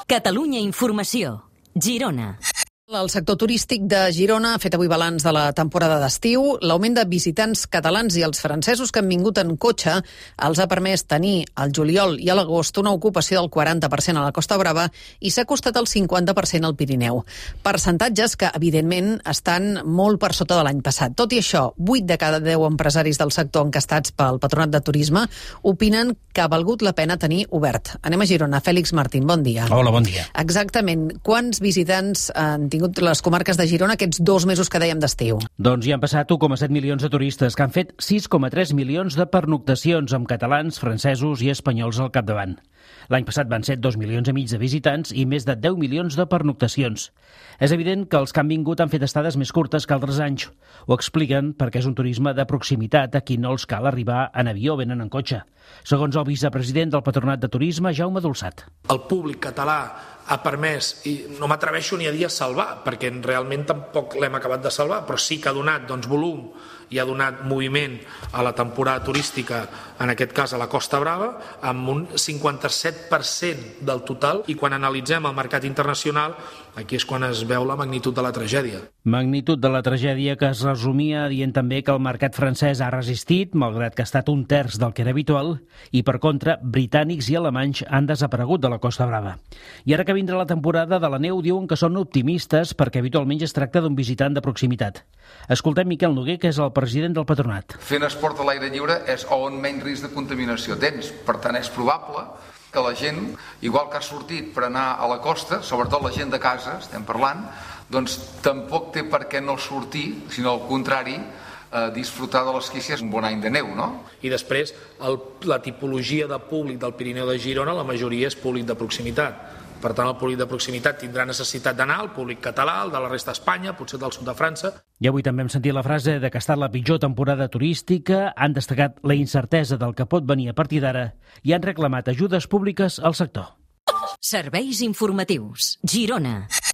Catalunya Informació. Girona. El sector turístic de Girona ha fet avui balanç de la temporada d'estiu. L'augment de visitants catalans i els francesos que han vingut en cotxe els ha permès tenir al juliol i a l'agost una ocupació del 40% a la Costa Brava i s'ha costat el 50% al Pirineu. Percentatges que, evidentment, estan molt per sota de l'any passat. Tot i això, 8 de cada 10 empresaris del sector encastats pel Patronat de Turisme opinen que ha valgut la pena tenir obert. Anem a Girona. Fèlix Martín, bon dia. Hola, bon dia. Exactament. Quants visitants han tingut les comarques de Girona aquests 2 mesos que dèiem d'estiu? Doncs hi han passat 1,7 milions de turistes que han fet 6,3 milions de pernoctacions amb catalans, francesos i espanyols al capdavant. L'any passat van ser 2,5 milions de visitants i més de 10 milions de pernoctacions. És evident que els que han vingut han fet estades més curtes que altres anys. Ho expliquen perquè és un turisme de proximitat a qui no els cal arribar en avió o venen en cotxe. Segons el vicepresident del Patronat de Turisme, Jaume Dolçat. El públic català ha permès, i no m'atreveixo ni a dir a salvar, perquè realment tampoc l'hem acabat de salvar, però sí que ha donat volum i ha donat moviment a la temporada turística, en aquest cas a la Costa Brava, amb un 57% del total, i quan analitzem el mercat internacional, aquí és quan es veu la magnitud de la tragèdia. Magnitud de la tragèdia que es resumia dient també que el mercat francès ha resistit, malgrat que ha estat 1/3 del que era habitual, i per contra, britànics i alemanys han desaparegut de la Costa Brava. I ara que vindrà la temporada de la neu diuen que són optimistes perquè habitualment es tracta d'un visitant de proximitat. Escoltem Miquel Noguer, que és el president del Patronat. Fent esport a l'aire lliure és on menys risc de contaminació tens. Per tant, és probable que la gent, igual que ha sortit per anar a la costa, sobretot la gent de casa, estem parlant, doncs tampoc té per què no sortir, sinó al contrari, disfrutar de l'esquí si és un bon any de neu, no? I després, la tipologia de públic del Pirineu de Girona, la majoria és públic de proximitat. Per tant, el públic de proximitat tindrà necessitat d'anar, el públic català, el de la resta d'Espanya, potser del sud de França. I avui també hem sentit la frase de que ha estat la pitjor temporada turística, han destacat la incertesa del que pot venir a partir d'ara i han reclamat ajudes públiques al sector. Serveis informatius. Girona.